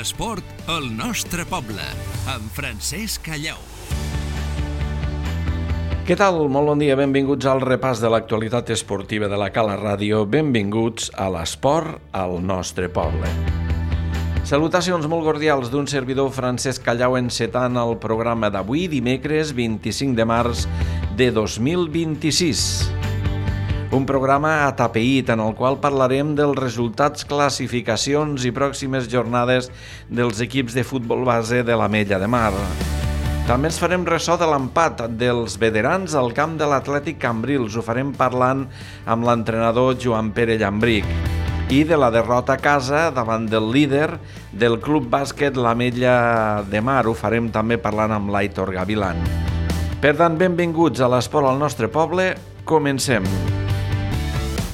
l'esport al nostre poble, amb Francesc Callau. Què tal? Molt bon dia, benvinguts al repàs de l'actualitat esportiva de la Cala Ràdio. Benvinguts a l'esport al nostre poble. Salutacions molt cordials d'un servidor Francesc Callau encetant el programa d'avui, dimecres 25 de març de 2026. Un programa atapeït en el qual parlarem dels resultats, classificacions i pròximes jornades dels equips de futbol base de l'Ametlla de Mar. També ens farem ressò de l'empat dels veterans al camp de l'Atlètic Cambrils. Ho farem parlant amb l'entrenador Joan Pere Llambric. I de la derrota a casa davant del líder del Club Bàsquet l'Ametlla de Mar. Ho farem també parlant amb l'Aitor Gavilan. Per tant, benvinguts a l'esport al nostre poble. Comencem.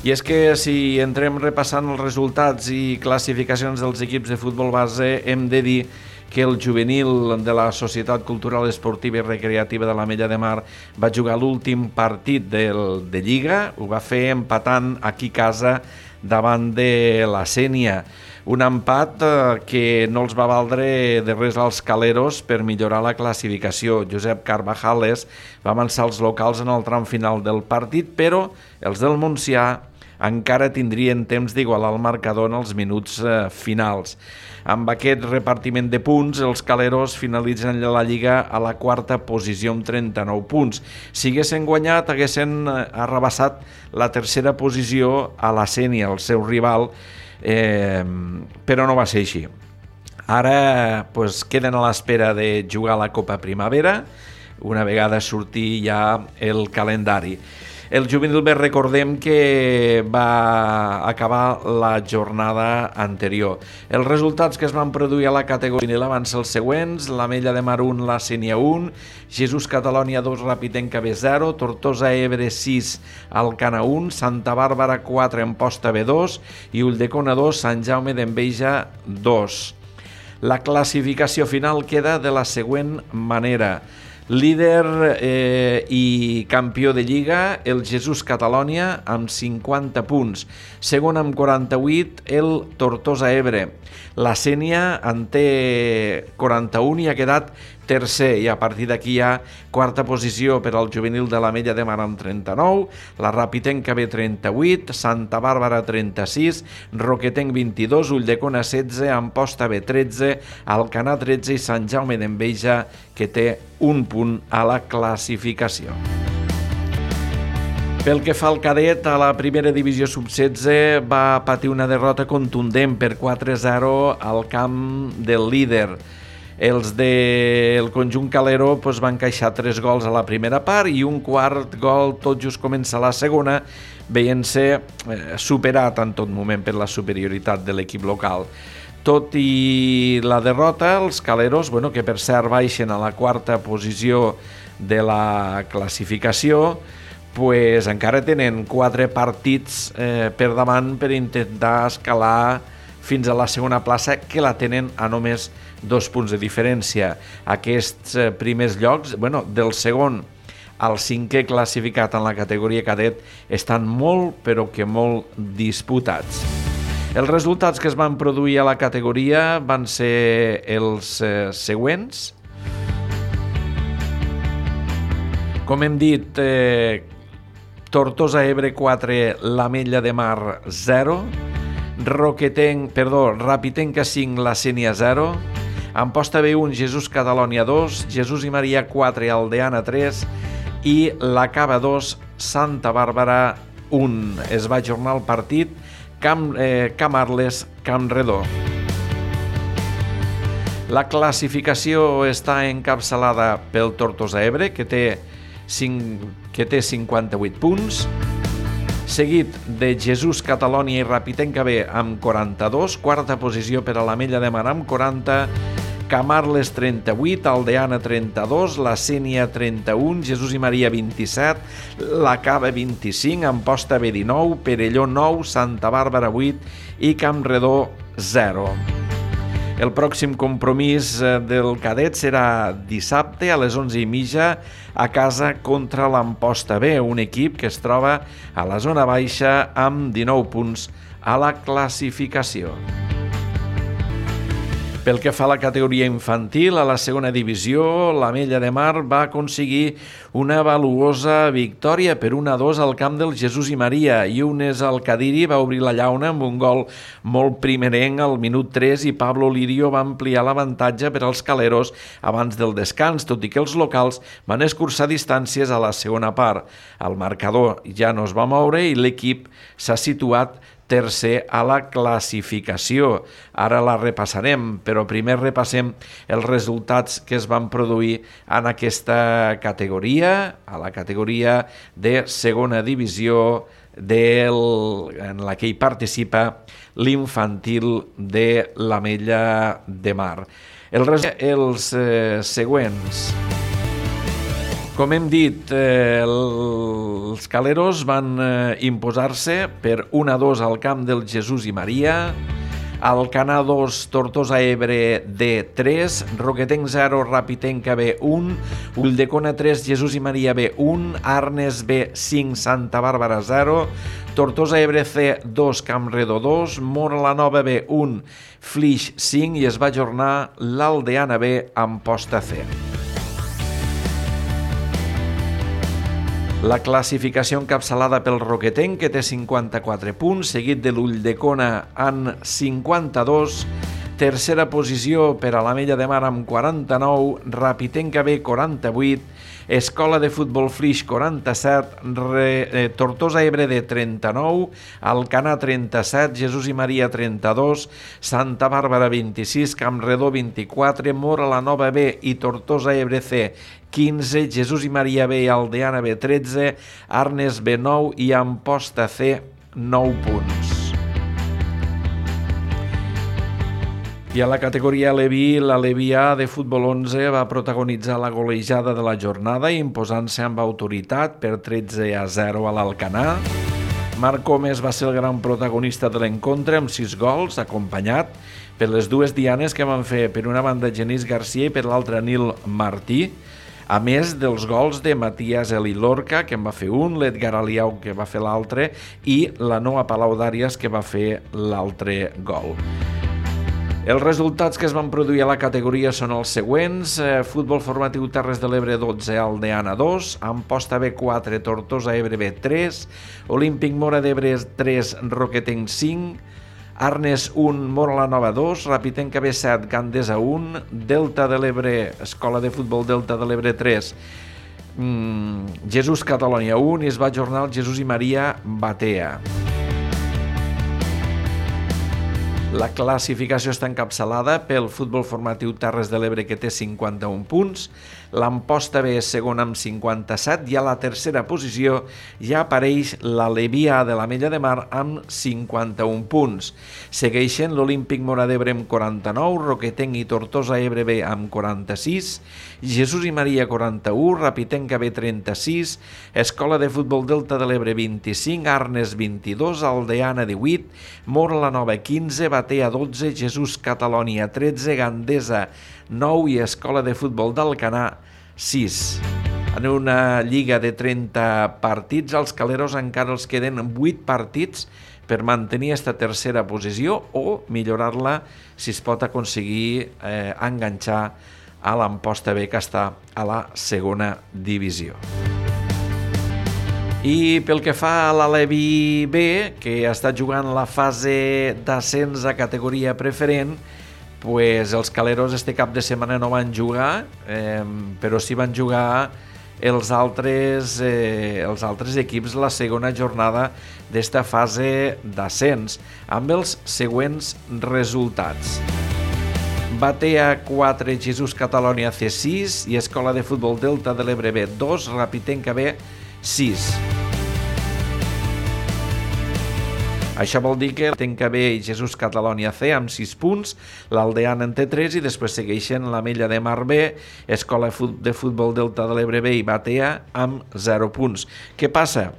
I és que si entrem repassant els resultats i classificacions dels equips de futbol base, hem de dir que el juvenil de la Societat Cultural Esportiva i Recreativa de l'Ametlla de Mar va jugar l'últim partit de Lliga, ho va fer empatant aquí a casa davant de la Sénia. Un empat que no els va valdre de res als caleros per millorar la classificació. Josep Carvajales va avançar els locals en el tram final del partit, però els del Montsià encara tindrien temps d'igualar el marcador en els minuts finals. Amb aquest repartiment de punts, els caleros finalitzen la Lliga a la quarta posició amb 39 punts. Si haguessin guanyat, haguessin arrabassat la tercera posició a la Sénia, el seu rival, però no va ser així. Ara queden a l'espera de jugar la Copa Primavera, una vegada surti ja el calendari. El juvenil B, recordem que va acabar la jornada anterior. Els resultats que es van produir a la categoria juvenil van ser els següents: l'Ametlla de Mar 1, la Sénia 1, Jesús Catalònia 2, Rapitenca B 0, Tortosa Ebre 6, Alcana 1, Santa Bàrbara 4, Amposta B 2 i Ulldecona 2, Sant Jaume d'Enveja 2. La classificació final queda de la següent manera. Líder i campió de Lliga, el Jesús Catalònia, amb 50 punts. Segon amb 48, el Tortosa Ebre. La Sénia en té 41 i ha quedat tercer, i a partir d'aquí hi ha quarta posició per al juvenil de l'Ametlla de Mar amb 39, la Rapitenca B 38, Santa Bàrbara 36, Roquetenc 22, Ulldecona 16, Amposta B 13, Alcanar 13 i Sant Jaume d'Enveja, que té un punt a la classificació. Pel que fa al cadet, a la primera divisió sub-16 va patir una derrota contundent per 4-0 al camp del líder. Els del conjunt calero van encaixar 3 gols a la primera part i un quart gol tot just comença la segona, veient-se superat en tot moment per la superioritat de l'equip local. Tot i la derrota, els caleros, que per cert baixen a la quarta posició de la classificació, encara tenen 4 partits per davant per intentar escalar fins a la segona plaça, que la tenen a només 2 punts de diferència. Aquests primers llocs, del segon al 5è classificat en la categoria cadet, estan molt, però que molt disputats. Els resultats que es van produir a la categoria van ser els següents. Com hem dit, Tortosa Ebre 4, l'Ametlla de Mar 0, Rapitenca 5, la Sénia 0, Amposta B1, Jesús Catalònia 2, Jesús i Maria 4, Aldeana 3 i la Cava 2, Santa Bàrbara 1. Es va ajornar el partit Camp Arles, Camp Redó. La classificació està encapçalada pel Tortosa Ebre, que té 58 punts, seguit de Jesús Catalònia i Rapitenca B amb 42, quarta posició per a l'Ametlla de Mar amb 40, Camarles 38, Aldeana 32, la Sénia 31, Jesús i Maria 27, la Cava 25, Amposta B 19, Perelló 9, Santa Bàrbara 8 i Camp Redó 0. El pròxim compromís del cadet serà dissabte a les 11:30 a casa contra l'Amposta B, un equip que es troba a la zona baixa amb 19 punts a la classificació. Pel que fa a la categoria infantil, a la segona divisió, l'Ametlla de Mar va aconseguir una valuosa victòria per 1-2 al camp del Jesús i Maria. Younes Alcadiri va obrir la llauna amb un gol molt primerenc al minut 3 i Pablo Lirio va ampliar l'avantatge per als caleros abans del descans, tot i que els locals van escurçar distàncies a la segona part. El marcador ja no es va moure i l'equip s'ha situat tercer a la classificació. Ara la repassarem, però primer repassem els resultats que es van produir en aquesta categoria, a la categoria de segona divisió en la que hi participa l'infantil de l'Ametlla de Mar. Els següents. Com hem dit, els caleros van imposar-se per 1-2 al camp del Jesús i Maria, Alcanar 2, Tortosa Ebre D3, Roquetenc 0, Rapitenca B1, Ulldecona 3, Jesús i Maria B1, Arnes B5, Santa Bàrbara 0, Tortosa Ebre C 2, Campredó 2, Móra la Nova B1, Flix 5 i es va ajornar l'Aldeana B, Amposta C. La classificació encapçalada pel Roquetenc, que té 54 punts, seguit de l'Ulldecona amb 52, tercera posició per a l'Ametlla de Mar amb 49, Rapitenca B 48, Escola de Futbol Flix 47, Tortosa Ebre de 39, Alcanar 37, Jesús i Maria 32, Santa Bàrbara 26, Campredó 24, Móra la Nova B i Tortosa Ebre C 15, Jesús i Maria B i Aldeana B 13, Arnes B 9 i Amposta C 9 punts. I a la categoria Aleví, l'Aleví A de futbol 11 va protagonitzar la golejada de la jornada imposant-se amb autoritat per 13-0 a l'Alcanar. Marc Gómez va ser el gran protagonista de l'encontre amb 6 gols, acompanyat per les dues dianes que van fer per una banda Genís Garcia i per l'altra Nil Martí, a més dels gols de Matías Eli Lorca, que en va fer un, l'Edgar Aliau, que va fer l'altre, i la Noa Palau d'Àrias, que va fer l'altre gol. Els resultats que es van produir a la categoria són els següents. Futbol formatiu Terres de l'Ebre 12, Aldeana 2, Amposta B 4, Tortosa Ebre B 3, Olímpic Móra d'Ebre 3, Roquetenc 5, Arnes 1, Móra la Nova 2, Rapitenca B 7, Gandesa 1, Delta de l'Ebre, Escola de Futbol Delta de l'Ebre 3, Jesús Catalònia 1 i es va ajornar el Jesús i Maria Batea. La classificació està encapçalada pel futbol formatiu Terres de l'Ebre, que té 51 punts, l'Amposta B és segona amb 57 i a la tercera posició ja apareix l'Aleví A de l'Ametlla de Mar amb 51 punts. Segueixen l'Olímpic Móra d'Ebre amb 49, Roquetenc i Tortosa Ebre B amb 46, Jesús i Maria 41, Rapitenca B 36, Escola de Futbol Delta de l'Ebre 25, Arnes 22, Aldeana 18, Móra la Nova 15, Batea 12, Jesús Catalònia 13, Gandesa 9 i Escola de Futbol d'Alcanar 6. En una lliga de 30 partits, als caleros encara els queden 8 partits per mantenir aquesta tercera posició o millorar-la si es pot aconseguir enganxar a l'Amposta B, que està a la segona divisió. I pel que fa a l'Aleví B, que està jugant la fase d'ascens a categoria preferent, pues els caleros este cap de setmana no van jugar, però sí van jugar els altres equips la segona jornada d'esta fase d'ascens, amb els següents resultats. Batea 4, Jesús Catalònia C6 i Escola de Futbol Delta de l'Ebre B 2, Rapitenca B 6. Això vol dir que Tenca B i Jesús Catalònia C amb 6 punts, l'Aldeana en té 3 i després segueixen l'Ametlla de Mar B, Escola de Futbol Delta de l'Ebre B i Batea amb 0 punts. Què passa?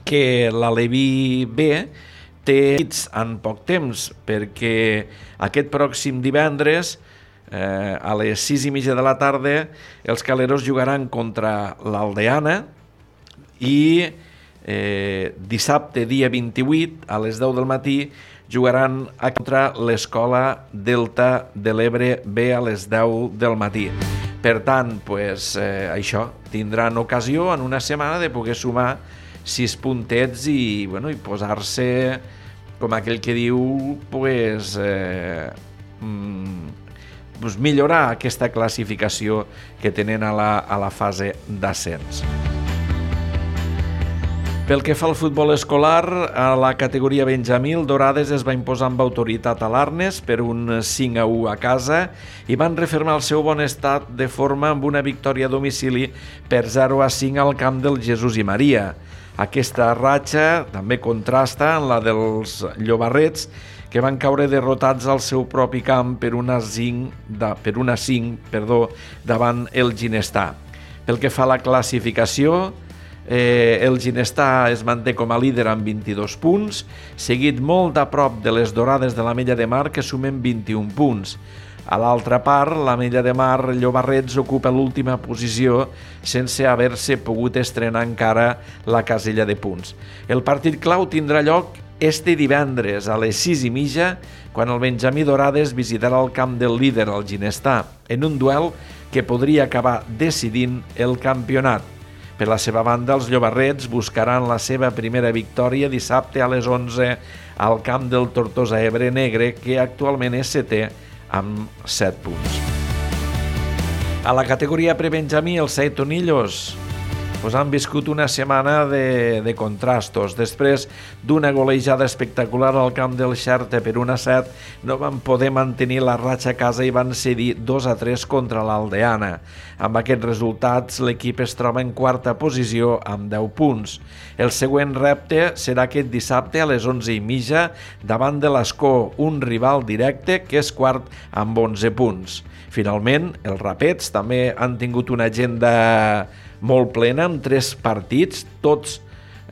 Que l'Aleví B té hits en poc temps, perquè aquest pròxim divendres a les 6:30 de la tarda els caleros jugaran contra l'Aldeana i dissabte, dia 28, a les 10 del matí, jugaran contra l'Escola Delta de l'Ebre B a les 10 del matí. Per tant, això, tindran ocasió en una setmana de poder sumar 6 puntets i posar-se, com aquell que diu, millorar aquesta classificació que tenen a la fase d'ascens. Pel que fa al futbol escolar, a la categoria Benjamí, el Dorades es va imposar amb autoritat a l'Arnes per un 5-1 a casa i van refermar el seu bon estat de forma amb una victòria a domicili per 0-5 al camp del Jesús i Maria. Aquesta ratxa també contrasta amb la dels Llobarrets, que van caure derrotats al seu propi camp per una 5 davant el Ginestà. Pel que fa a la classificació, el Ginestà es manté com a líder amb 22 punts, seguit molt a prop de les Dorades de l'Ametlla de Mar, que sumen 21 punts. A l'altra part, l'Ametlla de Mar Llobarrets ocupa l'última posició sense haver-se pogut estrenar encara la casella de punts. El partit clau tindrà lloc este divendres a les 6:30, quan el Benjamí Dorades visitarà el camp del líder, el Ginestà, en un duel que podria acabar decidint el campionat. Per la seva banda, els Llobarrets buscaran la seva primera victòria dissabte a les 11 al camp del Tortosa Ebre Negre, que actualment és setè amb 7 punts. A la categoria prebenjamí, els Saitonillos han viscut una setmana de contrastos. Després d'una golejada espectacular al camp del Xerta per 1-7, no van poder mantenir la ratxa a casa i van cedir 2-3 contra l'Aldeana. Amb aquests resultats, l'equip es troba en quarta posició amb 10 punts. El següent repte serà aquest dissabte a les 11:30 davant de l'Escó, un rival directe que és quart amb 11 punts. Finalment, els Rapets també han tingut una agenda molt plena, amb 3 partits, tots,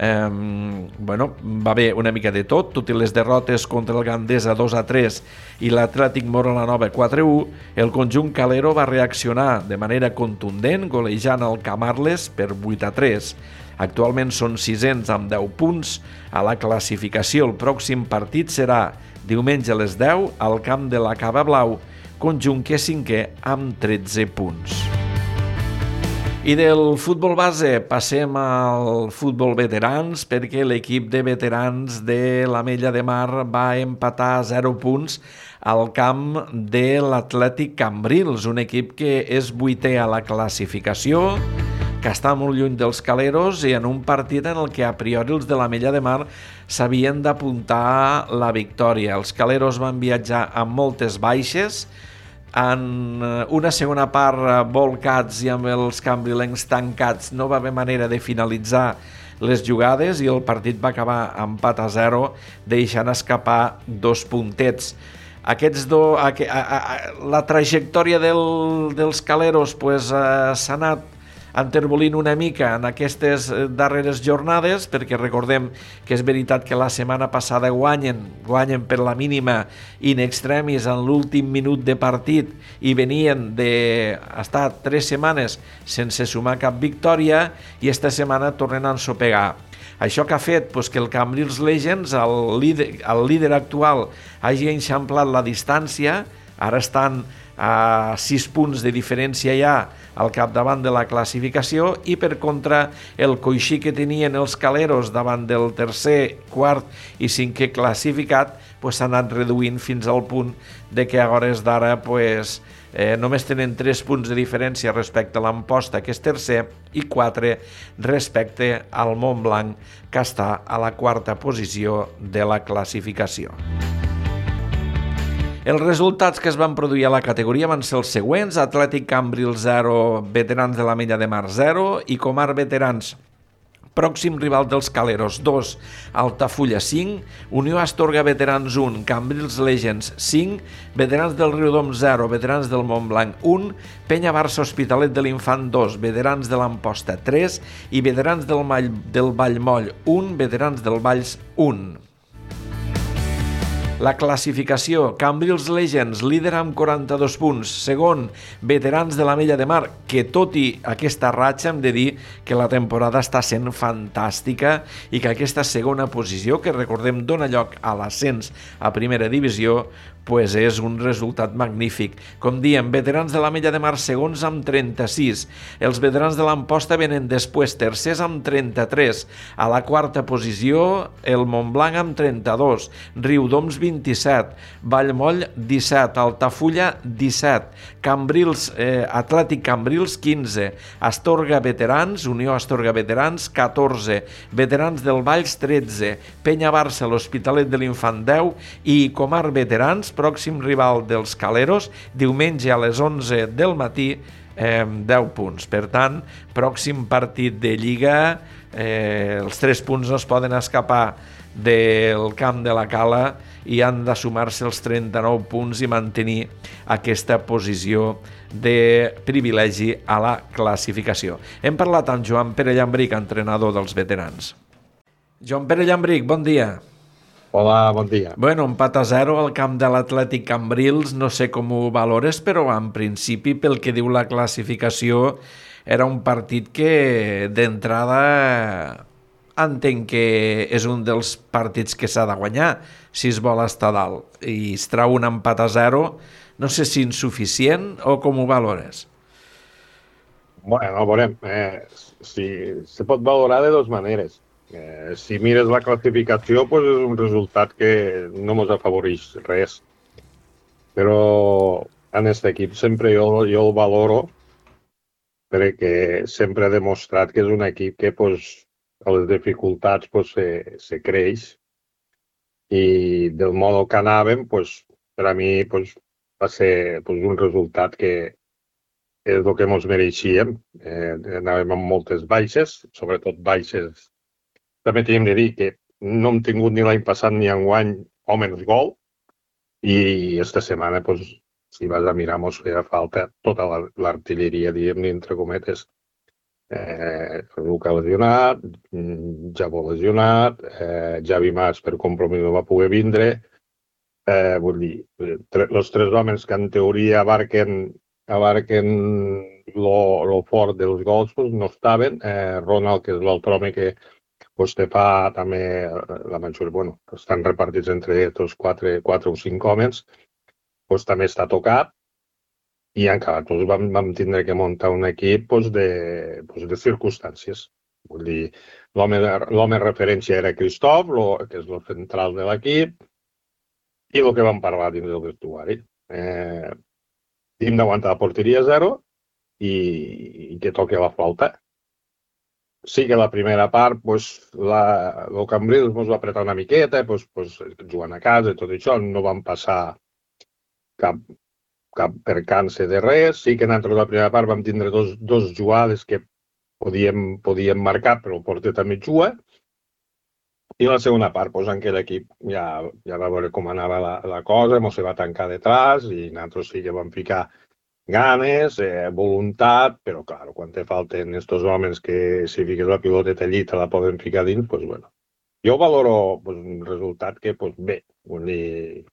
va haver una mica de tot i les derrotes contra el Gandesa 2-3 i l'Atlètic Mora la Nova 4-1, el conjunt calero va reaccionar de manera contundent, golejant el Camarles per 8-3. Actualment són 600 amb 10 punts a la classificació. El pròxim partit serà diumenge a les 10 al camp de la Cava Blau, conjunt que és 5è amb 13 punts. I del futbol base passem al futbol veterans, perquè l'equip de veterans de l'Ametlla de Mar va empatar a 0 punts al camp de l'Atlètic Cambrils, un equip que és 8è a la classificació, que està molt lluny dels caleros i en un partit en el que a priori els de l'Ametlla de Mar s'havien d'apuntar la victòria. Els caleros van viatjar amb moltes baixes, en una segona part volcats i amb els cambrilencs tancats no va haver manera de finalitzar les jugades i el partit va acabar empat a 0, deixant escapar 2 puntets. La trajectòria dels caleros s'ha anat enterbolint una mica en aquestes darreres jornades, perquè recordem que és veritat que la setmana passada guanyen per la mínima in extremis en l'últim minut de partit i venien d'estar 3 setmanes sense sumar cap victòria i esta setmana tornen a ensopegar. Això que ha fet que el Cambrils Legends, el líder actual, hagi eixamplat la distància, ara estan a 6 punts de diferència ja al capdavant de la classificació i per contra el coixí que tenien els caleros davant del tercer, quart i 5è classificat s'ha anat reduint fins al punt de que a hores d'ara només tenen 3 punts de diferència respecte a l'Amposta, que és tercer, i 4 respecte al Montblanc, que està a la quarta posició de la classificació. Els resultats que es van produir a la categoria van ser els següents: Atlètic Cambrils 0, Veterans de l'Ametlla de Mar 0 i Comar Veterans, pròxim rival dels caleros, 2, Altafulla 5, Unió Astorga Veterans 1, Cambrils Legends 5, Veterans del Riudom 0, Veterans del Montblanc 1, Penya Barça Hospitalet de l'Infant 2, Veterans de l'Amposta 3 i Veterans del Vallmoll 1, Veterans del Valls 1. La classificació: Cambrils Legends, líder amb 42 punts. Segon, Veterans de l'Ametlla de Mar, que tot i aquesta ratxa hem de dir que la temporada està sent fantàstica i que aquesta segona posició, que recordem dona lloc a l'ascens a primera divisió, pues és un resultat magnífic. Com diem, Veterans de l'Ametlla de Mar segons amb 36. Els Veterans de l'Amposta venen després tercers amb 33. A la quarta posició, el Montblanc amb 32. Riudoms 27. Vallmoll 17. Altafulla 17. Cambrils, Atlètic Cambrils 15. Astorga Veterans, Unió Astorga Veterans 14. Veterans del Valls 13. Penya Barça, l'Hospitalet de l'Infant 10 i Comar Veterans, pròxim rival dels Caleros, diumenge a les 11 del matí, 10 punts. Per tant, pròxim partit de Lliga, els 3 punts no es poden escapar del camp de la Cala i han de sumar-se els 39 punts i mantenir aquesta posició de privilegi a la classificació. Hem parlat amb Joan Pere Llambric, entrenador dels veterans. Joan Pere Llambric, bon dia. Hola, bon dia. Bueno, empat a 0 al camp de l'Atlètic Cambrils, no sé com ho valores, però en principi, pel que diu la classificació, era un partit que d'entrada entenc que és un dels partits que s'ha de guanyar si es vol estar dalt, i es trau un empat a 0, no sé si insuficient o com ho valores. Bueno, veurem. Se pot valorar de dues maneres. Si mires la classificació, pues és un resultat que no ens afavoreix res. Però en aquest equip sempre jo el valoro perquè sempre ha demostrat que és un equip que pues, a les dificultats pues, se creix i del modo que anàvem, pues, per a mi pues, va ser pues, un resultat que és el que ens mereixíem. Anàvem amb moltes baixes, sobretot baixes. També tenim de dir que no hem tingut ni l'any passat ni enguany homes gol i aquesta setmana, pues, si vas a mirar, ens feia falta tota l'artilleria, diguem-ne, entre cometes. Luca lesionat, Javo lesionat, Javi Mas per compromís no va poder vindre. Vull dir, els 3 homes que en teoria abarquen lo fort dels gols pues, no estaven. Ronald, que és l'altre home que pues, te fa també la majoria, bueno, estan repartits entre tots 4 o 5 homes, pues, també està tocat i encara pues, vam tindre que muntar un equip pues, de circumstàncies. Vull dir, l'home referència era Christoph, que és el central de l'equip, i el que vam parlar dins del vestuari. Hem d'aguantar la porteria 0 i que toqui la flauta. Sí que la primera part, pues, el Cambrils ens va apretar una miqueta, pues, jugant a casa i tot això, no vam passar cap percança de res. Sí que nosaltres la primera part vam tindre dos jugades que podíem marcar, però el porter també juga. I la segona part, pues, en aquell equip ja va veure com anava la cosa, ens va tancar detrás i nosaltres sí que vam ficar ganes, voluntat, però, clar, quan te falten estos homes que si fiques la piloteta allí te la poden ficar dins, doncs, bueno. Jo valoro pues, un resultat que, pues, bé, vull dir,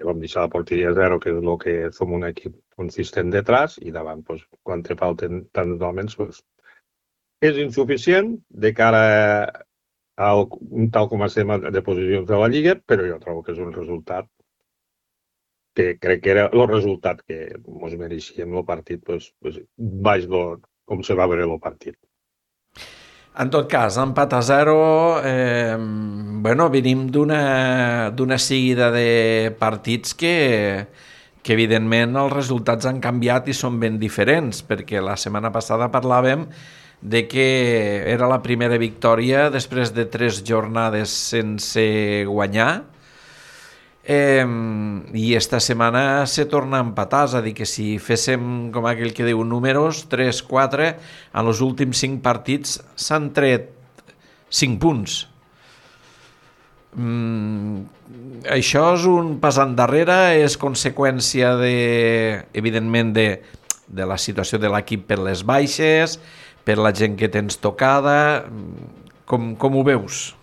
vam deixar la porteria 0, que és el que som un equip consistent detrás, i davant, pues, quan te falten tants homes, pues, és insuficient de cara a tal com estem de posicions de la Lliga, però jo trobo que és un resultat que crec que era el resultat que ens mereixíem el partit, baix com se va veure el partit. En tot cas, empat a 0, venim d'una seguida de partits que evidentment els resultats han canviat i són ben diferents, perquè la setmana passada parlàvem de que era la primera victòria després de 3 jornades sense guanyar, i esta setmana se torna a empatar, és a dir, que si féssim, com aquell que diu, números, 3-4, en els últims 5 partits s'han tret 5 punts. Això és un pas endarrere, és conseqüència, evidentment, de la situació de l'equip per les baixes, per la gent que tens tocada. Com ho veus?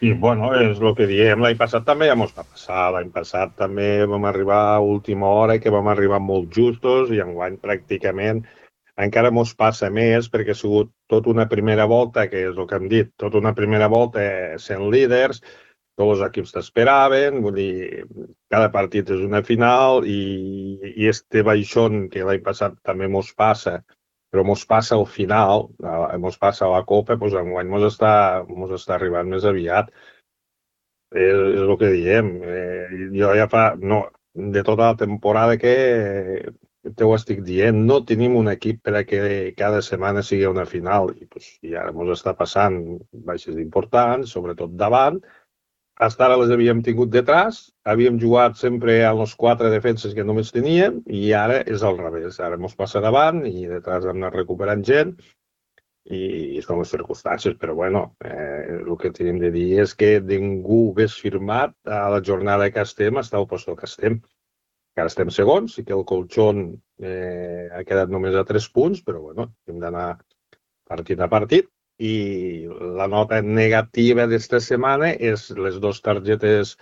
I, bueno, és el que diem, l'any passat també ja mos va passar. L'any passat també vam arribar a última hora, que vam arribar molt justos, i enguany pràcticament encara mos passa més, perquè ha sigut tota una primera volta, que és el que hem dit, tota una primera volta sent líders, tots els equips t'esperaven, vull dir, cada partit és una final, i este baixón que l'any passat també mos passa, però mos passa al final, mos passa a la Copa, doncs enguany mos està arribant més aviat. És el que diem. Jo ja fa... No, de tota la temporada que te ho estic dient, no tenim un equip per a que cada setmana sigui una final, i ara mos està passant baixes importants, sobretot davant. Fins ara les havíem tingut detrás, havíem jugat sempre a les 4 defenses que només teníem, i ara és al revés. Ara ens passa davant i detrás hem anat recuperant gent, i són les circumstàncies, però bueno, el que tenim de dir és que ningú hagués firmat a la jornada que estem estar al lloc que estem. Encara estem segons, i que el colxón ha quedat només a 3 punts, però bueno, hem d'anar partit a partit. I la nota negativa d'esta setmana és les 2 targetes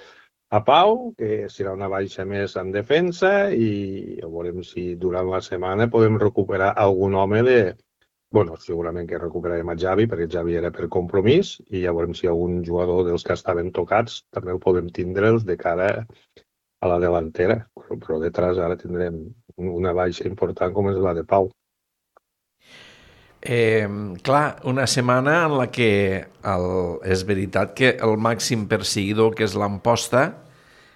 a Pau, que serà una baixa més en defensa, i veurem si durant la setmana podem recuperar algun home de... Bueno, segurament que recuperarem a Javi, perquè Javi era per compromís, i ja veurem si algun jugador dels que estaven tocats també el podem tindre'ls de cara a la delantera. Però detrás ara tindrem una baixa important com és la de Pau. Clar, una setmana en la que és veritat que el màxim perseguidor, que és l'Amposta,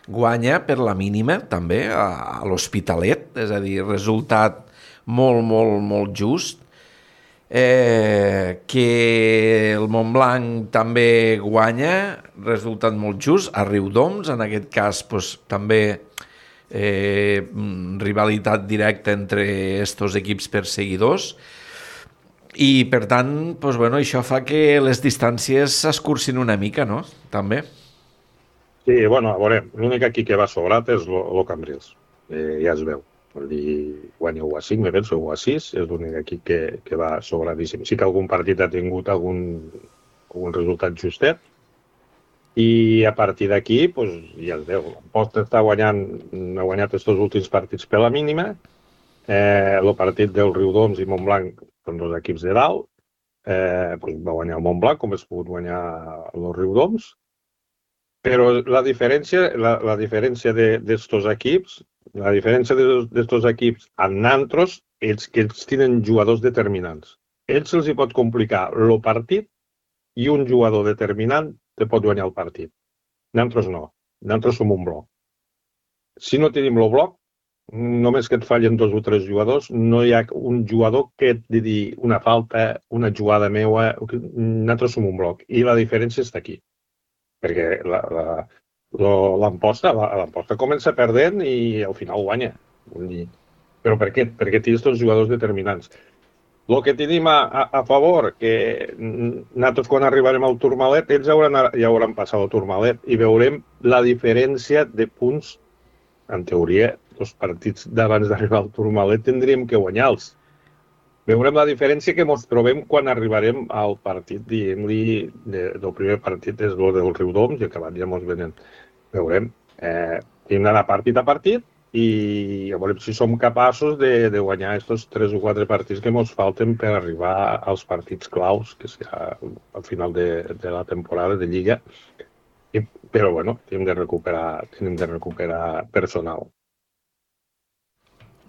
guanya per la mínima també a l'Hospitalet, és a dir, resultat molt, molt, molt just, que el Montblanc també guanya, resultat molt just, a Riudoms, en aquest cas doncs, també rivalitat directa entre estos equips perseguidors. I, per tant, doncs, bueno, això fa que les distàncies s'escurcin una mica, no? També. Sí, bueno, a veure, l'únic aquí que va sobrat és el Cambrils. Ja es veu. Vol dir, guanya 1-5, me penso, 1-6, és l'únic aquí que va sobradíssim. Sí que algun partit ha tingut algun resultat justet, i a partir d'aquí, doncs, ja es veu. L'Amposta està guanyant, ha guanyat aquests últims partits per la mínima. El partit del Riudoms i Montblanc són 2 equips de dalt, va guanyar el Montblanc, com es pogut guanyar el Riudoms, però la diferència d'estos equips, la diferència d'estos equips amb nantros és que ells tenen jugadors determinants. Ells se'ls hi pot complicar el partit i un jugador determinant te pot guanyar el partit. Nantros no, nantros som un bloc. Si no tenim el bloc, només que et fallen 2 o 3 jugadors, no hi ha un jugador que et digui una falta, una jugada meua, nosaltres som un bloc. I la diferència està aquí. Perquè l'Amposta comença perdent i al final guanya. Però per què? Perquè té aquests jugadors determinants. El que tenim a favor, que nosaltres quan arribarem al Tourmalet, ells ja hauran passat al Tourmalet i veurem la diferència de punts, en teoria, els partits d'abans d'arribar al Tourmalet tindríem que guanyar-los. Veurem la diferència que ens trobem quan arribarem al partit, diguem-li, del primer partit és el del Riudoms, i acabat ja ens venen. Veurem. Hem d'anar partit a partit i veurem si som capaços de guanyar aquests 3 o 4 partits que ens falten per arribar als partits claus, que serà al final de la temporada de Lliga. Però, bueno, tenim de recuperar personal.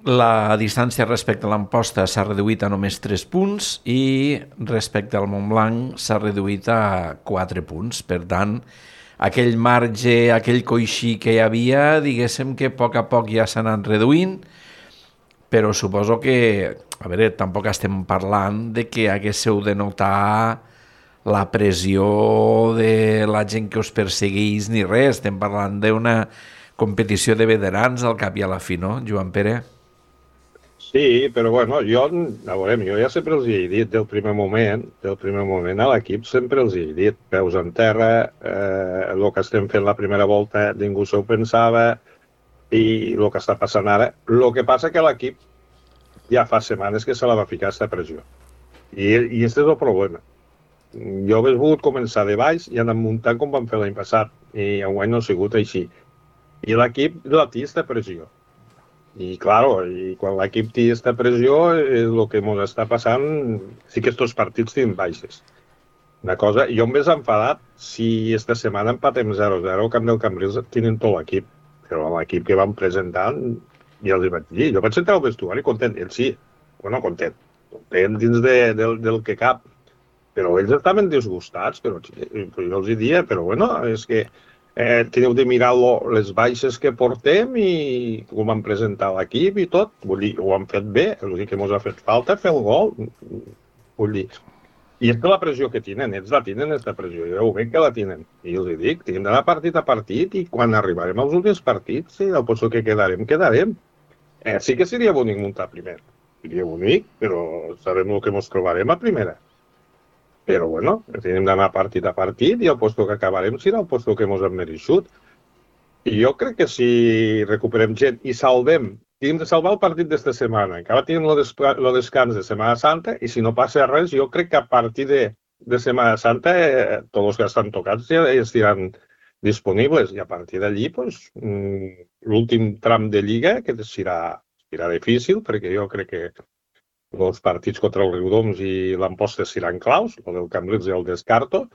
La distància respecte a l'Amposta s'ha reduït a només 3 punts i respecte al Montblanc s'ha reduït a 4 punts. Per tant, aquell marge, aquell coixí que hi havia, diguéssim que a poc ja s'ha anat reduint, però suposo que, a veure, tampoc estem parlant de que haguéssiu de notar la pressió de la gent que us perseguís ni res. Estem parlant d'una competició de veterans al cap i a la fi, no, Joan Pere? Sí, però bueno, jo ja sempre els he dit del primer moment a l'equip sempre els he dit, peus en terra, el que estem fent la primera volta ningú s'ho pensava i el que està passant ara. El que passa que l'equip ja fa setmanes que se la va ficar aquesta pressió. I aquest és el problema. jo hauria volgut començar de baix i anar muntant com vam fer l'any passat, i enguany no ha sigut així. I l'equip la té aquesta pressió. I, claro, quan l'equip té aquesta pressió, el que ens està passant, sí que aquests partits tenen baixes. Una cosa, jo em veig enfadat si esta setmana empatem 0-0 al camp del Cambrils, tenen tot l'equip, però l'equip que vam presentant, ja els vaig dir, jo vaig entrar al vestuari content, ell sí, bueno, content dins del que cap, però ells estaven disgustats, però jo els dia, però bueno, és que teniu de mirar les baixes que portem i com vam presentar l'equip i tot, vull dir, ho han fet bé, l'únic que ens ha fet falta fer el gol, vull dir, i és que la pressió que tenen, ells la tenen, aquesta pressió, jo ho veig que la tenen, i els dic, tenim d'anar partit a partit i quan arribarem als últims partits, sí, al lloc que quedarem. Sí que seria bonic muntar primer, seria bonic, però sabem el que ens trobarem a primera. Però, bueno, tenim d'anar partit a partit i el lloc que acabarem serà el lloc que ens hem mereixut. I jo crec que si recuperem gent i tenim de salvar el partit d'esta setmana. Encara tenim el descans de Setmana Santa i si no passa res, jo crec que a partir de Setmana Santa tots els que estan tocats ja estiran disponibles i a partir d'allí l'últim tram de Lliga que serà difícil perquè jo crec que els partits contra el Riudoms i l'Amposta seran claus, el del Cambrils ja el descarto,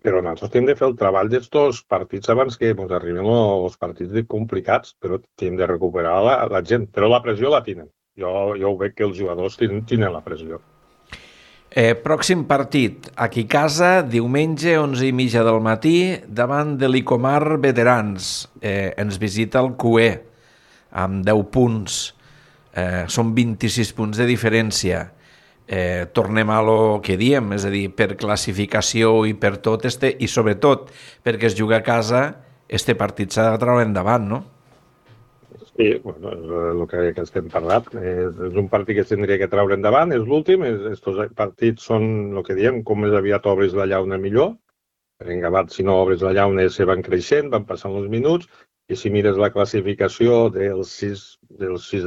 però nosaltres hem de fer el treball d'estos partits abans que ens arriben els partits complicats, però hem de recuperar la gent, però la pressió la tenen. Jo ho veig que els jugadors tenen la pressió. Pròxim partit, aquí a casa, diumenge, 11:30 del matí, davant de l'Icomar Veterans. Ens visita el QE, amb 10 punts. Són 26 punts de diferència. Tornem a lo que diem, és a dir, per classificació i per tot, i sobretot perquè es juga a casa, este partit s'ha de treure endavant, no? Sí, bueno, és el que estem parlant. És un partit que es tindria que treure endavant, és l'últim. Estos partits són el que diem, com més aviat obres la llauna millor. Per engabat, si no obres la llauna, se van creixent, van passant els minuts, i si mires la classificació dels 6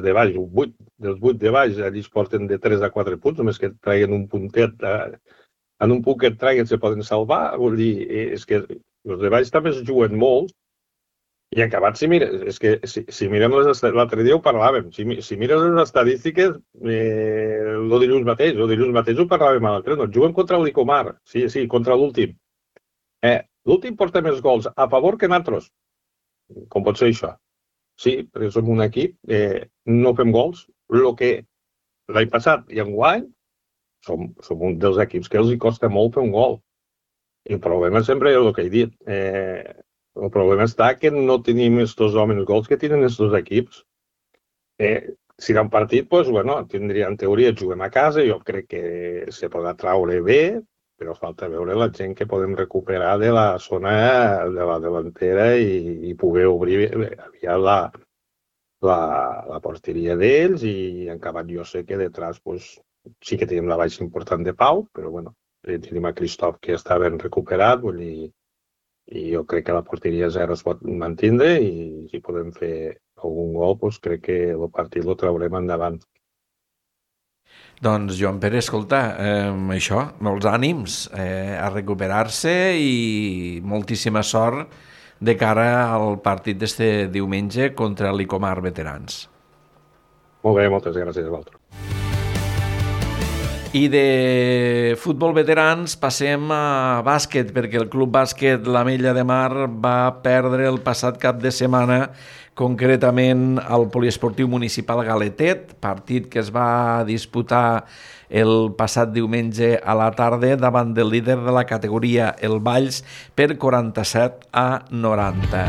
de baix, dels 8 de baix, allà es porten de 3 a 4 punts, només que traiguen un puntet, en un punt que et traiguen se poden salvar, vull dir, és que els de baix també es juguen molt, i acabat, si mirem l'altre dia ho parlàvem, si mires les estadístiques, el dilluns mateix ho parlàvem a l'altre, no, juguen contra l'Icomar, sí, contra l'últim. L'últim porta més gols a favor que nosaltres. Com pot ser això? Sí, perquè som un equip, no fem gols. El que l'any passat i enguany som un dels equips que els costa molt fer un gol. I el problema sempre és el que he dit. El problema està que no tenim estos homes gols que tenen estos equips. Si era un partit, doncs, bueno, en teoria juguem a casa, jo crec que se podrà traure bé, però falta veure la gent que podem recuperar de la zona de la delantera i poder obrir aviat la porteria d'ells i en acabat jo sé que detrás sí que tenim la baixa important de Pau, però bueno, tenim a Christoph que està ben recuperat, vull dir, i jo crec que la porteria 0 es pot mantindre i si podem fer algun gol, crec que el partit el traurem endavant. Doncs, Joan Pere, escolta, això, molts ànims a recuperar-se i moltíssima sort de cara al partit d'este diumenge contra l'Icomar Veterans. Molt bé, moltes gràcies a vosaltres. I de futbol veterans passem a bàsquet, perquè el Club Bàsquet l'Ametlla de Mar va perdre el passat cap de setmana, concretament al Poliesportiu Municipal Galetet, partit que es va disputar el passat diumenge a la tarda davant del líder de la categoria, el Valls, per 47-90.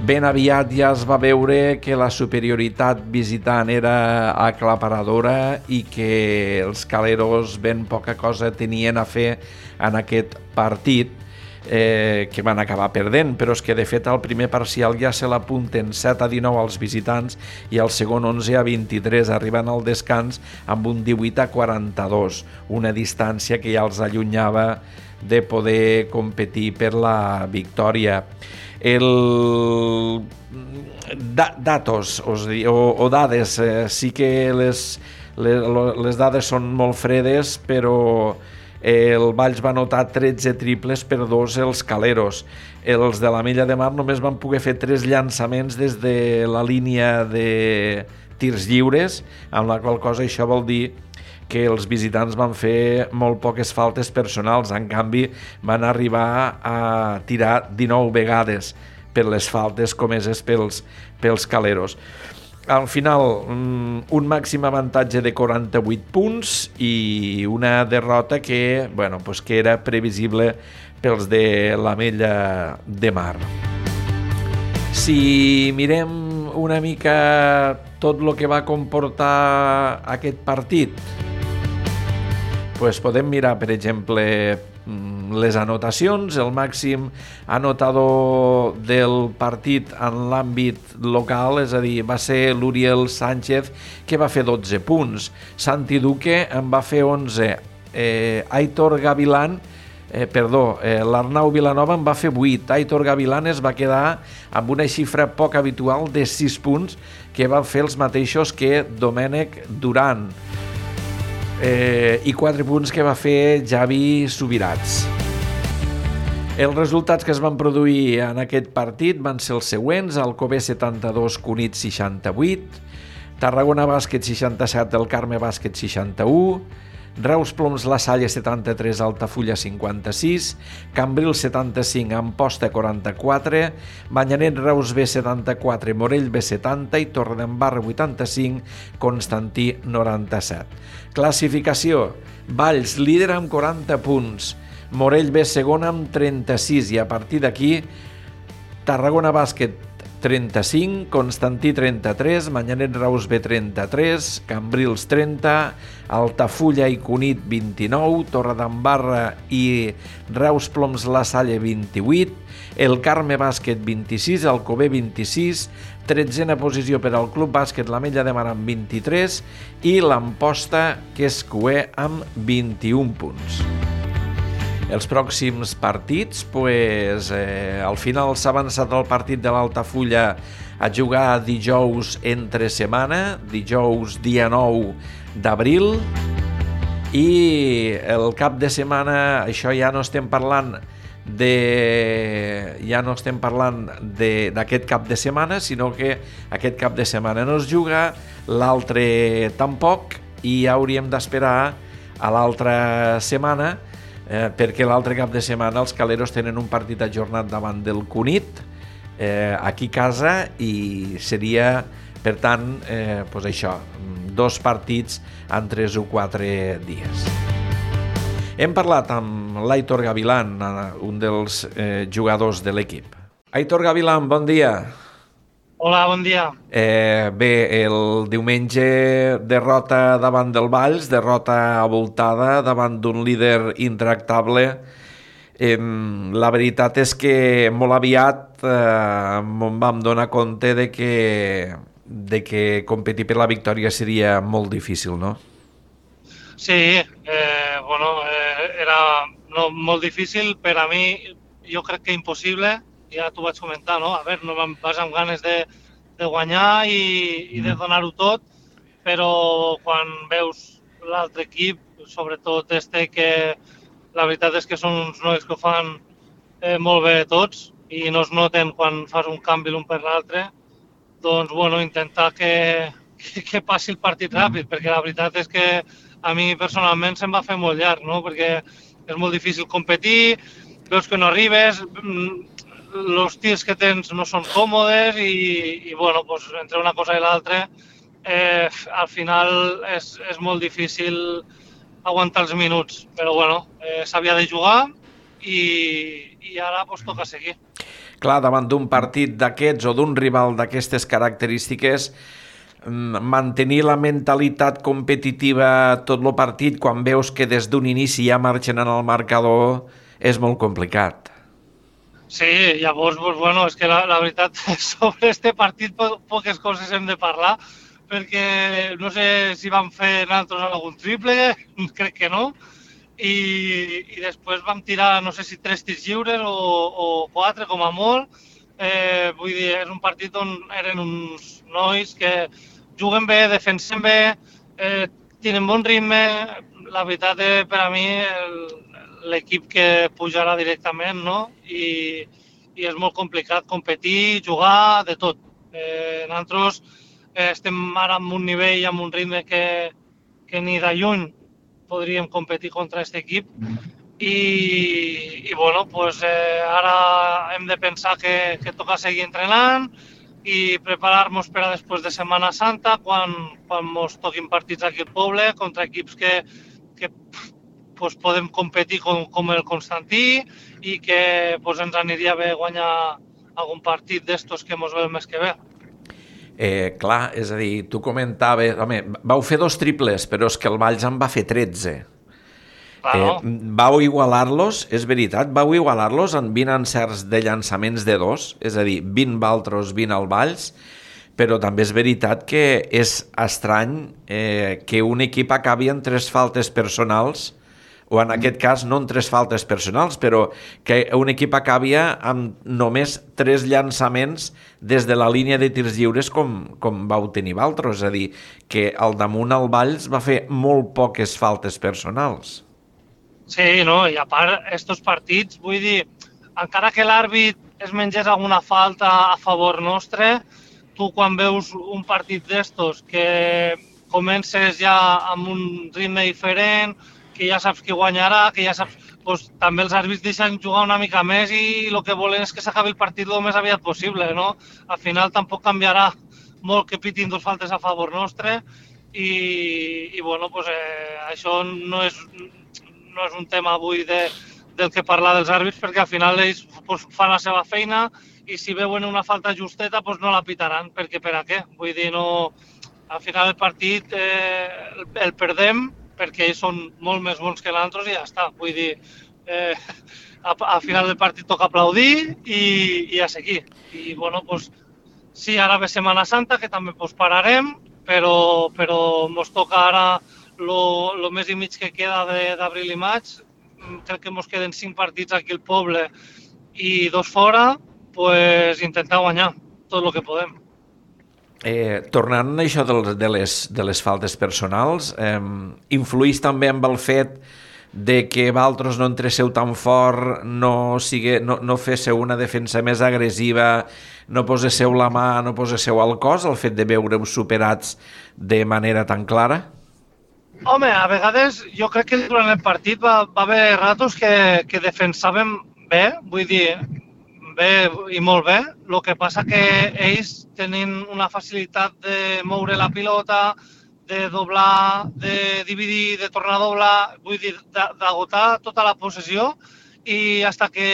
Ben aviat ja es va veure que la superioritat visitant era aclaparadora i que els caleros ben poca cosa tenien a fer en aquest partit, que van acabar perdent, però és que de fet al primer parcial ja se l'apunten 7-19 als visitants i al segon 11-23, arribant al descans amb un 18-42, una distància que ja els allunyava de poder competir per la victòria. Datos o dades, sí que les dades són molt fredes, però El Valls va anotar 13 triples per 2 els Caleros. Els de l'Ametlla de Mar només van poder fer 3 llançaments des de la línia de tirs lliures, amb la qual cosa això vol dir que els visitants van fer molt poques faltes personals. En canvi, van arribar a tirar 19 vegades per les faltes comeses pels Caleros. Al final, un màxim avantatge de 48 punts i una derrota que era previsible pels de l'Ametlla de Mar. Si mirem una mica tot el que va comportar aquest partit, podem mirar, per exemple, les anotacions. El màxim anotador del partit en l'àmbit local, és a dir, va ser l'Uriel Sánchez, que va fer 12 punts. Santi Duque en va fer 11. Aitor Gavilán, l'Arnau Vilanova en va fer 8. Aitor Gavilán es va quedar amb una xifra poc habitual de 6 punts, que van fer els mateixos que Domènec Duran. I 4 punts que va fer Javi Subirats. Els resultats que es van produir en aquest partit van ser els següents: Alcover 72, Cunit 68, Tarragona Bàsquet 67, el Carme Bàsquet 61, Reus Ploms La Salle 73, Altafulla 56, Cambril 75, Amposta 44, Manyanet Reus B 74, Morell B 70 i Torredembarra 85, Constantí 97. Classificació: Valls líder amb 40 punts, Morell B segona amb 36 i a partir d'aquí Tarragona Bàsquet 35, Constantí 33, Manyanet Reus B 33, Cambrils 30, Altafulla i Cunit 29, Torredembarra i Reus Ploms La Salle 28, el Carme Bàsquet 26, Alcover 26, 13a posició per al Club Bàsquet l'Ametlla de Mar amb 23 i l'Amposta, que és cuer, amb 21 punts. Els pròxims partits, al final s'ha avançat el partit de l'Altafulla a jugar dijous entre setmana, dijous dia 9 d'abril, i el cap de setmana, això ja no estem parlant d'aquest cap de setmana, sinó que aquest cap de setmana no es juga, l'altre tampoc, i ja hauríem d'esperar a l'altra setmana, perquè l'altre cap de setmana els Caleros tenen un partit ajornat davant del Cunit, aquí a casa, i seria, per tant, això, 2 partits en 3 o 4 dies. Hem parlat amb l'Aitor Gavilán, un dels jugadors de l'equip. Aitor Gavilán, bon dia. Hola, bon dia. Bé, el diumenge derrota davant del Valls, derrota avoltada davant d'un líder intractable. La veritat és que molt aviat vam donar compte de que competir per la victòria seria molt difícil, no? Sí, era molt difícil per a mi, jo crec que impossible. Ja t'ho vaig comentar, no? A veure, no vas amb ganes de guanyar i de donar-ho tot, però quan veus l'altre equip, sobretot que la veritat és que són uns nois que ho fan molt bé tots i no es noten quan fas un canvi l'un per l'altre, doncs, intentar que passi el partit ràpid, perquè la veritat és que a mi personalment se'm va fer molt llarg, no? Perquè és molt difícil competir, veus que no arribes, els tirs que tens no són còmodes i entre una cosa i l'altra al final és molt difícil aguantar els minuts, però s'havia de jugar i ara toca seguir. Clar, davant d'un partit d'aquests o d'un rival d'aquestes característiques, mantenir la mentalitat competitiva tot el partit quan veus que des d'un inici ja marxen en el marcador és molt complicat. Sí, llavors, és que la veritat, sobre este partit poques coses hem de parlar, perquè no sé si vam fer nosaltres algun triple, crec que no, i després vam tirar, no sé si 3 tirs lliures o 4, com a molt. Vull dir, és un partit on eren uns nois que juguen bé, defensen bé, tenen bon ritme, la veritat, per a mi, l'equip que pujarà directament, no? I és molt complicat competir, jugar, de tot. Nosaltres estem ara en un nivell, amb un ritme que ni de lluny podríem competir contra aquest equip. I bueno, pues, ara hem de pensar que toca seguir entrenant i preparar-nos per a després de Setmana Santa, quan ens toquin partits aquí al poble, contra equips que pues, podem competir com el Constantí i que pues, ens aniria bé guanyar algun partit d'estos que ens ve el mes que ve. Clar, és a dir, tu comentaves... Home, vau fer 2 triples, però és que el Valls en va fer 13. Claro. Vau igualar-los, és veritat, vau igualar-los en 20 encerts de llançaments de 2, és a dir, 20 Valtros, 20 al Valls, però també és veritat que és estrany que un equip acabi en 3 faltes personals, o en aquest cas no en 3 faltes personals, però que un equip acabi amb només 3 llançaments des de la línia de tirs lliures com vau tenir Valtros, és a dir, que al damunt el Valls va fer molt poques faltes personals. Sí, no? I a part, estos partits, vull dir, encara que l'àrbit es mengés alguna falta a favor nostre, tu quan veus un partit d'estos que comences ja amb un ritme diferent, que ja saps qui guanyarà, que ja saps... Pues, també els àrbits deixen jugar una mica més i el que volen és que s'acabi el partit el més aviat possible, no? Al final tampoc canviarà molt que pitin 2 faltes a favor nostre i bueno, pues, això no és un tema avui del que parlar dels àrbits, perquè al final ells pues, fan la seva feina i si veuen una falta justeta pues, no la pitaran, perquè per a què? Vull dir, no... Al final el partit el perdem perquè ells són molt més bons que nosaltres i ja està. Vull dir, al final del partit toca aplaudir i a seguir. I bueno, pues, sí, ara ve Setmana Santa, que també pues, pararem, però ens toca ara el mes i mig que queda d'abril i maig. Crec que ens queden 5 partits aquí al poble i 2 fora, pues, intentar guanyar tot el que podem. Tornant a això de les faltes personals, influïs també amb el fet de que Valtros no entréssiu tan fort, no féssiu una defensa més agressiva, no poséssiu la mà, no poséssiu el cos, el fet de veure-us superats de manera tan clara? Home, a vegades jo crec que durant el partit va haver ratos que defensàvem bé, vull dir, bé i molt bé. El que passa que ells tenen una facilitat de moure la pilota, de doblar, de dividir, de tornar a doblar, vull dir, d'agotar tota la possessió i fins que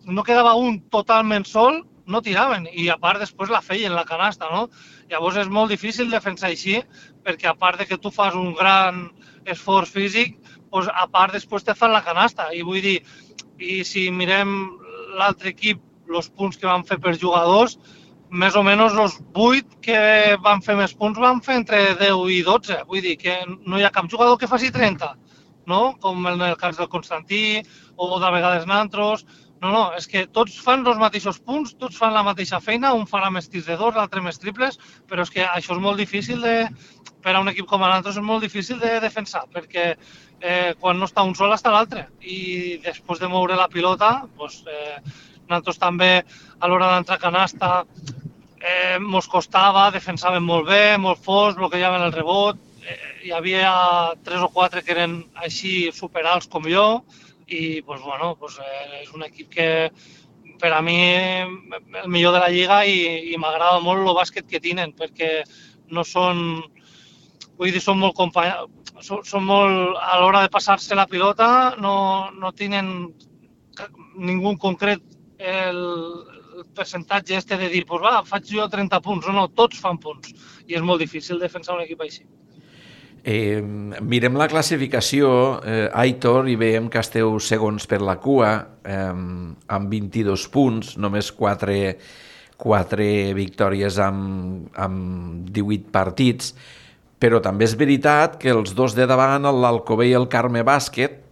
no quedava un totalment sol, no tiraven i a part després la feien la canasta, no? Llavors és molt difícil defensar així perquè a part de que tu fas un gran esforç físic, doncs a part després te fan la canasta i vull dir, i si mirem l'altre equip, els punts que van fer per jugadors, més o menys els 8 que van fer més punts van fer entre 10 i 12. Vull dir que no hi ha cap jugador que faci 30, no? Com en el cas del Constantí o de vegades nosaltres. No, és que tots fan els mateixos punts, tots fan la mateixa feina, un farà més tirs de 2, l'altre més triples, però és que això és molt difícil per a un equip com a nosaltres és molt difícil de defensar, perquè quan no està un sol està l'altre. I després de moure la pilota, doncs, nosaltres també a l'hora d'entrar a canasta ens costava, defensàvem molt bé, molt forts, bloquejaven el rebot, hi havia 3 o 4 que eren així superalts com jo, i pues, bueno, pues, és un equip que per a mi el millor de la lliga i m'agrada molt el bàsquet que tenen perquè no són, vull dir, són molt a l'hora de passar-se la pilota no tenen ningú en concret el percentatge de dir, pues va, faig jo 30 punts, no, tots fan punts i és molt difícil defensar un equip així. Mirem la classificació, Aitor, i veiem que esteu segons per la cua amb 22 punts, només 4 victòries amb 18 partits, però també és veritat que els dos de davant, l'Alcover i el Carme Bàsquet,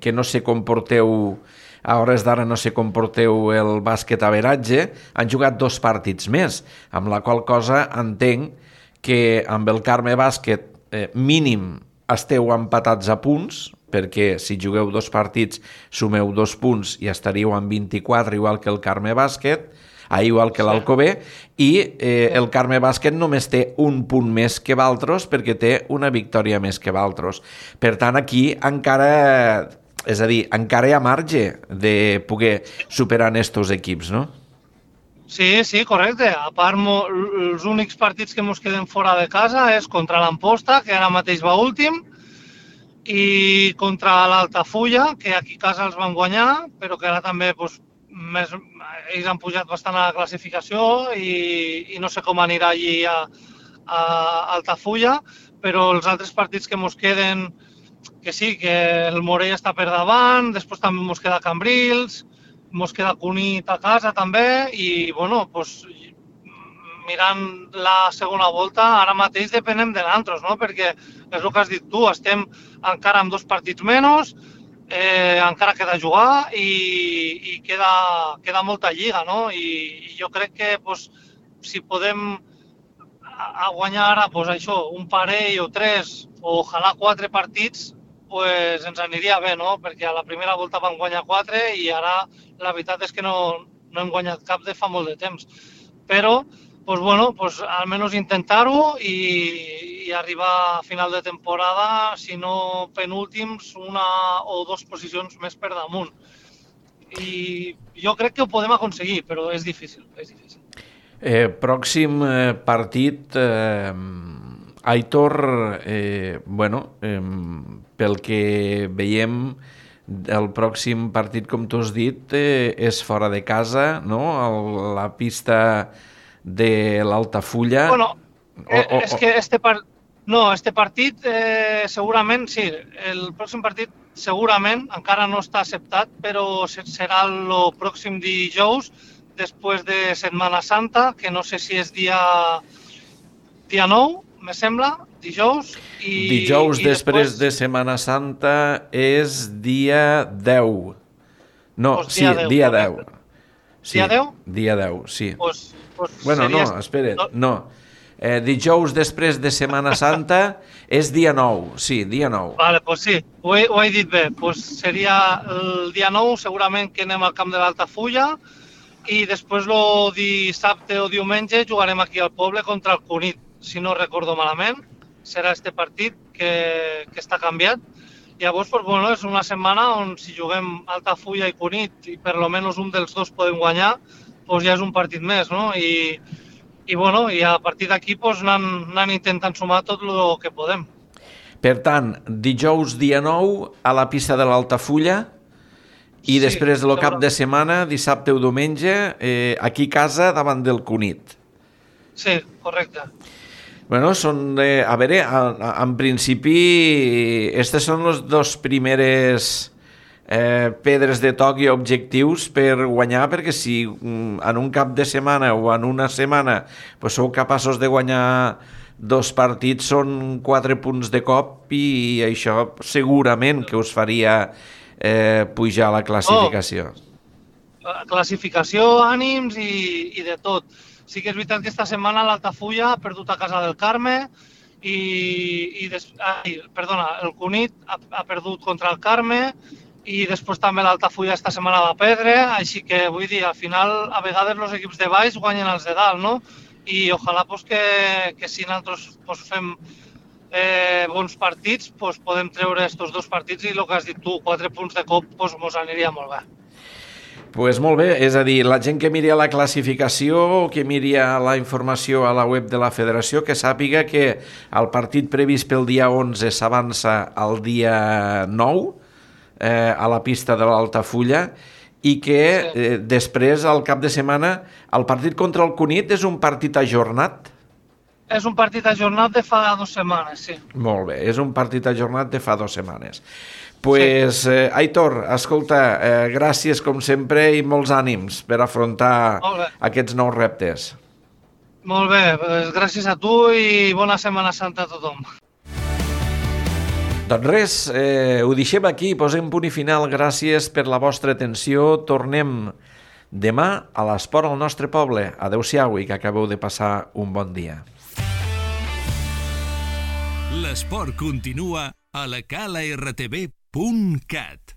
que no sé com porteu, a hores d'ara no sé com porteu el bàsquet a veratge, han jugat 2 partits més, amb la qual cosa entenc que amb el Carme Bàsquet mínim esteu empatats a punts, perquè si jugueu 2 partits sumeu 2 punts i estaríeu amb 24, igual que el Carme Bàsquet, igual que l'Alcover, i el Carme Bàsquet només té un punt més que Valtros perquè té una victòria més que Valtros. Per tant, aquí encara... És a dir, encara hi ha marge de poder superar estos equips, no? Sí, correcte. A part, els únics partits que ens queden fora de casa és contra l'Amposta, que ara mateix va últim, i contra l'Altafulla, que aquí a casa els van guanyar, però que ara també ells han pujat bastant a la classificació i no sé com anirà allí a Altafulla, però els altres partits que ens queden, que sí, que el Morell està per davant, després també ens queda Cambrils, ens queda Cunit a casa també, i bueno, mirant la segona volta, ara mateix depenem de nosaltres, no? Perquè és el que has dit tu, estem encara amb 2 partits menys, encara queda jugar i queda molta lliga, no? I jo crec que si podem guanyar ara això, un parell o 3 o ojalà 4 partits, ens aniria bé, no? Perquè a la primera volta van guanyar 4 i ara la veritat és que no hem guanyat cap de fa molt de temps. Però, almenys intentar-ho i arribar a final de temporada, si no penúltims, 1 o 2 posicions més per damunt. I jo crec que ho podem aconseguir, però és difícil, és difícil. Pròxim partit, Aitor, pel que veiem, el pròxim partit, com tu has dit, és fora de casa, no? La pista de l'Altafulla. És que este partit segurament, sí, el pròxim partit segurament encara no està acceptat, però serà el pròxim dijous, després de Setmana Santa, que no sé si és dia 9, me sembla, dijous. Dijous després de Setmana Santa és dia 10. No, sí, dia 10. Dia 10? Dia 10, sí. Bueno, no, espera, no. Dijous després de Setmana Santa és dia 9, sí, dia 9. Vale, sí, ho he dit bé. Seria el dia 9, segurament que anem al camp de l'Altafulla, i després el dissabte o diumenge jugarem aquí al poble contra el Cunit, si no recordo malament. Serà este partit que està canviat. Llavors, és una setmana on si juguem Altafulla i Cunit i per almenys un dels dos podem guanyar, ja és un partit més, no? I a partir d'aquí anant intentant sumar tot el que podem. Per tant, dijous dia 9 a la pista de l'Altafulla, i després del cap de setmana, dissabte o diumenge, aquí a casa davant del Cunit. Sí, correcte. Bueno, a veure, en principi, aquestes són les 2 primeres pedres de toc i objectius per guanyar, perquè si en un cap de setmana o en una setmana sou capaços de guanyar 2 partits, són 4 punts de cop i això segurament que us faria pujar la classificació. Classificació, ànims i de tot. Sí que és veritat que esta setmana l'Altafulla ha perdut a casa del Carme el Cunit ha perdut contra el Carme i després també l'Altafulla esta setmana va perdre, així que vull dir, al final a vegades els equips de baix guanyen els de dalt, no? I ojalà que si nosaltres fem bons partits, podem treure aquests 2 partits i el que has dit tu, 4 punts de cop, ens aniria molt bé. Doncs molt bé, és a dir, la gent que miri la classificació o que miri la informació a la web de la federació, que sàpiga que el partit previst pel dia 11 s'avança al dia 9 a la pista de l'Altafulla i que després, al cap de setmana, el partit contra el Cunit és un partit ajornat? És un partit ajornat de fa 2 setmanes, sí. Molt bé, és un partit ajornat de fa 2 setmanes. Pues, Aitor, escolta, gràcies com sempre i molts ànims per afrontar aquests nous reptes. Molt bé, gràcies a tu i bona Setmana Santa a tothom. Doncs res, ho deixem aquí, posem punt i final. Gràcies per la vostra atenció. Tornem demà a l'Esport al nostre poble. Adéu-siau i que acabeu de passar un bon dia. L'esport continua a la calartb.cat.